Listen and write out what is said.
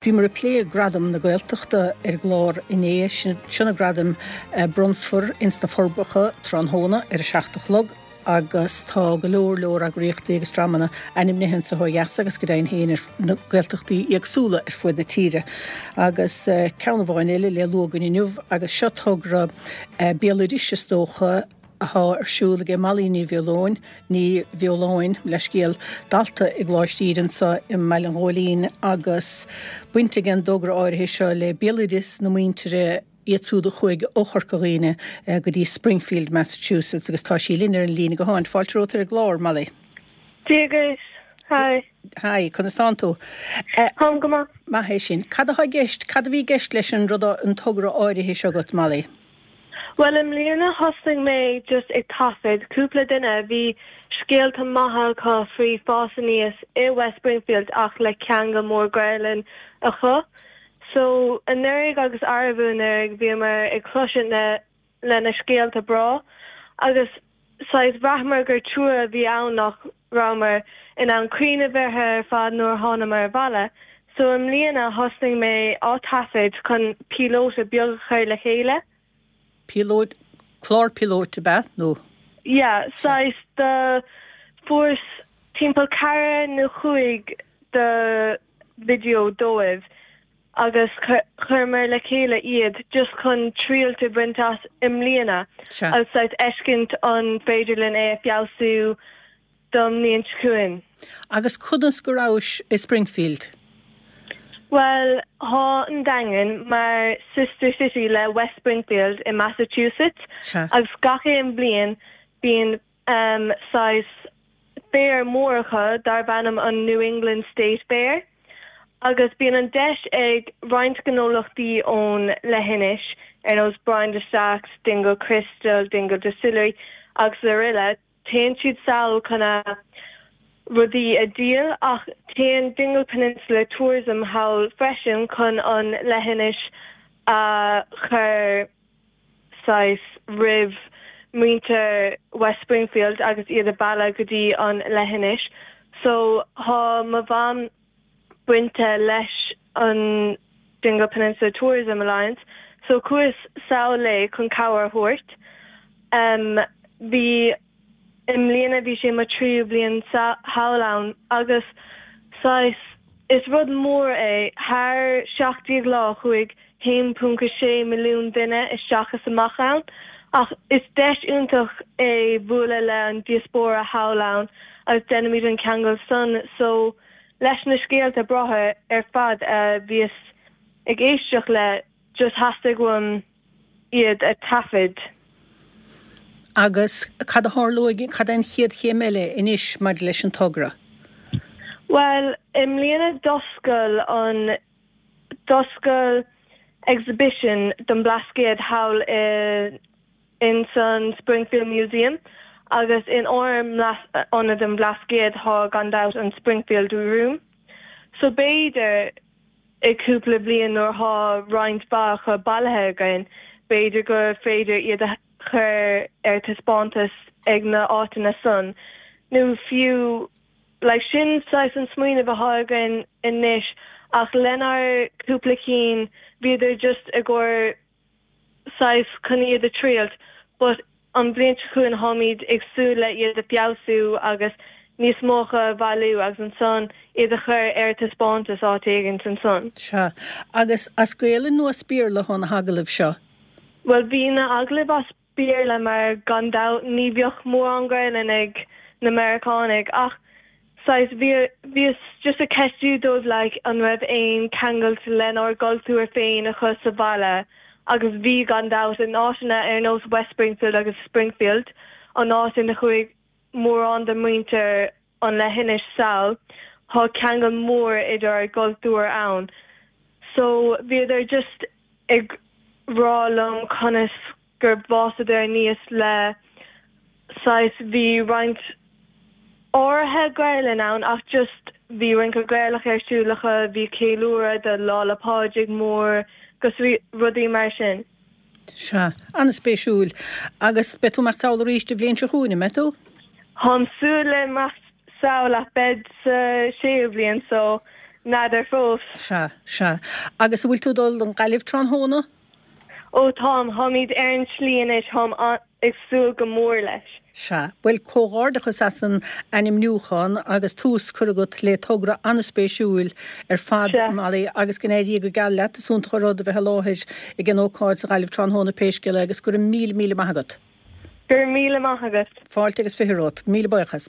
Bhíomar ag plé Gradaim na Gaeltachta ar an gclár inné. Seo na gradaim a bronnfar ins na Forbacha tráthnóna ar a 7 a chlog agus tá go leor leor eagraíochtaí agus dreamanna ainmnithe anso ó dheas agus go deimhin féin ar na Gaeltachtaí éagsúla ar fuaid na tíre. Agus ceann amháin eile le lua againn inniu agus seo togra béaloidis is dócha, athá ar siúl aige Molly Ní Bheoláin, Ní Bheoláin, leithscéal, dalta i gColáiste Íde anso i mBaile an Ghóilín agus baint ag an dtogra áirithe seo le béaloideas na muintire, iad siúd a chuaigh ó Chorca Dhuibhne go dtí Springfield, Massachusetts agus tá sí linn ar an líne gutháin. Fáilte romhat ar an gclár, Molly. Dia dhuit. Hi. Hi, conas tánn tú? Táim go maith. Maith é sin. Cad athá i gceist, cad a bhí i gceist leis an rud, an togra áirithe seo agat, Molly? Bhuel i mbliana thosnaigh mé just ag taifead cúpla duine a bhí scéalta maithe acu faoi fás aníos i West Springfield ach le ceangal mór Gaelainn acu. So anuraidh agus arbú anuraidh bhíomar ag cloisint na le na scéalta breá agus saghas bhraitheamar gur trua a bhí ann nach rabhamar in ann cuimhneamh orthu ar fad nuair a thánamar abhaile. So i mbliana thosnaigh mé á taifead chun píolóta beag a chur le chéile. Píolót, clár píolóit ab ea nó? Yeah, saghas do fuaireas timpeall ceathair nó chúig de video dóibh. agus chuireamar le chéile iad just chun triailt a bhaint as i mbliana agus saghas fheiscint an féidir linn é a feabhsú don mbliain seo chugainn. Agus conas go rabhais i Springfield? Bhuel, thá an Daingean mar sister city le West Springfield i Massachusetts agus gach aon bhliain bíonn saghas fair mór acu darb ainm an New England State Fair agus bíonn an deis ag roinnt gnólachtaí ón leithinis, ar nós Brian de Staic, Dingle Crystal, Dingle Distillery agus aroile, téann siad sall chun a rudaí a dhíol ach téann Dingle Peninsula Tourism thall freisin chun an leithinis a chur saghas roimh muintir West Springfield agus iad a mhealladh go dtí an leithinis. So thá mo mham bainte leis an Dingle Peninsula Tourism Alliance so chuas sall léi chun cabhair a thabhairt. Em bhí. I mbliana bhí sé mo tríú bliain thall ann agus saghas, is rud mór é, thar 17 lá chuaigh 1.6 milliún duine isteach is amach ann ach is deis iontach é bualadh le an diaspóra thall ann agus déanaimid an ceangal san so leis na scéalta breátha ar fad a bhíos ag éisteacht le just theastaigh uaim iad a taifead. Agus cad a tharlóidh, cad é an chéad chéim eile anois maidir leis an togra? Bhuel, i mbliana d'oscail an, d'oscail exhibition don Blascaod thall i, ins an Springfield Museum agus in ár Ionad an Bhlascaoid thá gan dabht an Springfield Room. So b'fhéidir i cúpla bliain nuair thá roinnt mhaith acu bailithe againn, b'fhéidir gur féidir iad a chur ar taispeántas ag na áiteanna san nó fiú like sin saghas an smaoineamh athá againn anois ach lenár cúpla cinn bhíodar just i gcomhair saghas chun iad a triailt but an bhliain seo chugainn tháimid ag súil le iad a feabhsú agus níos mó acu a bhailiú agus ansan iad a chur ar taispeántas áit éigint ansan. Sea. Agus as Gaelainn nó as Béarla atá na hagallaimh seo? Bhuel bhí na agallaimh as Béarla mar gan dabht ní bheadh mórán Gaelainn ag na Meiriceánaigh ach saghas bhí bhíos just ag ceistiú dóibh like an raibh aon ceangailt lenár gcultúr féin acu sa bhaile agus bhí gan dabht in áiteanna ar nós West Springfield agus Springfield an áit ina chuaigh mórán de mhuintir an leithinis sall thá ceangal mór idir ár gcultúir ann so bhíodar just ag rá liom conas gur bhfásadar aníos le saghas bhí roinnt áirithe Gaelainn ann ach just bhí rince Gaelach ar siúl acu, bhí ceiliúradh do Lá 'le Pádraig mór 'gus rudaí mar sin. Sea, an-spéisiúil. Agus beidh tú ag imeacht sall arís an bhliain seo chugainn, an mbeidh tú? Táim súil le imeacht sall ach beidh sa séú bliain so. N'fheadar fós. Sea, sea. Agus an bhfuil tú ag dul don Ghaillimh tráthnóna? Ó táim, táimid ar an tslí anois, táim ag súil go mór leis. Sea. Bhuel, comhghairdeachas as an ainmniúchán agus tús curtha agat le togra an-spéisiúil ar fad, Molly, agus go n-éirí go geal leat. Is iontach an rud a bheith i láthair ag an ócáid sa Ghaillimh tráthnóna pé scéal é agus go raibh míle, míle maith agat. Go raibh míle maith agat. Fáilte agus 20 romhat. Míle buíochas.